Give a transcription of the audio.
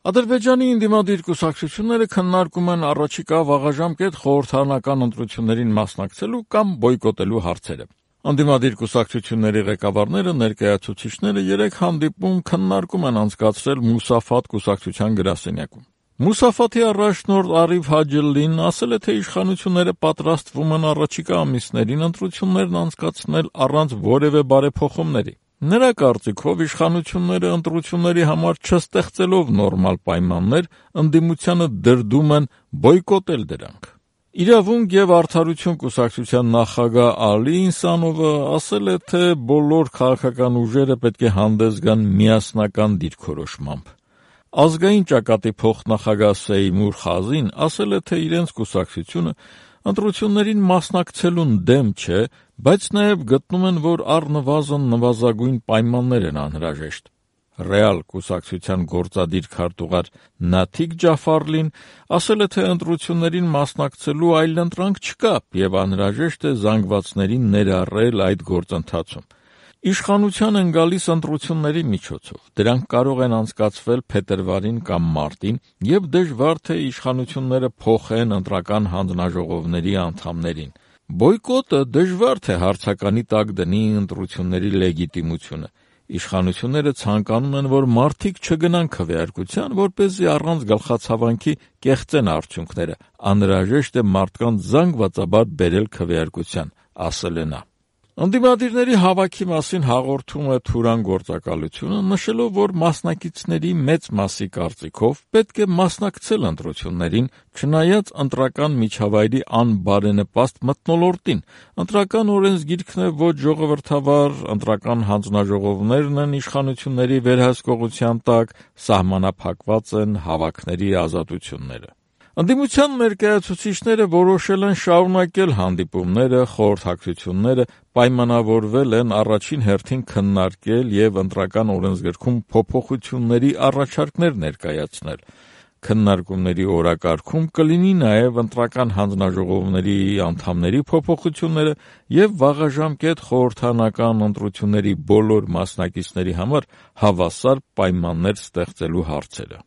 Ադրբեջանի ընդդիմադիր կուսակցությունները քննարկում են առաջիկա վաղաժամկետ խորհրդարանական ընտրություններին մասնակցելու կամ բոյկոտելու հարցերը։ Ընդդիմադիր կուսակցությունների ղեկավարները, ներկայացուցիչները 3 հանդիպում քննարկում են անցկացրել Մուսաֆաթ կուսակցության գրասենյակում։ Մուսաֆաթի առաջնորդ Արիֆ Հաջելլին ասել է, թե իշխանությունները պատրաստվում են առաջիկա ամիսներին ընտրություններն անցկացնել առանց որևէ բարեփոխումների։ Նրա կարծիքով իշխանությունները ընտրությունների համար չստեղծելով նորմալ պայմաններ, ընդդիմությանը դրդում են բոյկոտել դրանք։ Իրավունք և արդարություն կուսակցության նախագահ Ալի Ինսանովը ասել է, թե բոլոր քաղաքական ուժերը պետք է հանդես գան միասնական դիրքորոշմամբ։ Ազգային ճակատի փոխնախագահ Սեյմուր Խազին ասել է, թե իրենց կուսակցությունը ընտրություններին մասնակցելուն դեմ չէ, բայց նաև գտնում են, որ առնվազն նվազագույն պայմաններ են անհրաժեշտ։ Ռեալ կուսակցության գործադիր քարտուղար Նաթիկ Ջաֆարլին ասել է, թե ընտրություններին մասնակցելու այլընտրանք չկա և անհրաժեշտ է զանգվածներին ներառել այդ գործընթացում։ Իշխանության են գալիս ընտրությունների միջոցով, դրանք կարող են անցկացվել փետրվարին կամ մարտին և դժվար թե իշխանությունները փոխեն ընտրական հանձնաժողովների անդամներին։ Բոյկոտը դժվար թե հարցականի տակ դնի ընտրությունների լեգիտիմությունը։ Իշխանությունները ցանկանում են, որ մարդիկ չգնան քվեարկության, որպեսզի առանց գլխացավանքի կեղծեն արդյունքները։ Անհրաժեշտ է մարդկանց զանգվածաբար բերել քվեարկության, ասել է նա։ Ընդդիմադիրների հավաքի մասին հաղորդում է Թուրան գործակալությունը, նշելով, որ մասնակիցների մեծ մասի կարծիքով պետք է մասնակցել ընտրություններին, չնայած ընտրական միջավայրի անբարենպաստ մթնոլորտին։ Ընտրական օրենսգիրքն է ոչ ժողովրդավար, ընտրական հանձնաժողովներն են իշխանությունների վերահսկողության տակ, սահմանափակված են հավաքների ազատությունները։ Ընդդիմության ներկայացուցիչները որոշել են շարունակել հանդիպումները, խորհրդակցությունները, պայմանավորվել են առաջին հերթին քննարկել և ընտրական օրենսգրքում փոփոխությունների առաջարկներ ներկայացնել։ Քննարկումների օրակարգում կլինի նաև ընտրական հանձնաժողովների անդամների փոփոխությունները և վաղաժամկետ խորհրդարանական ընտրությունների բոլոր մասնակիցների համար հավասար պայմաններ ստեղծելու հարցերը։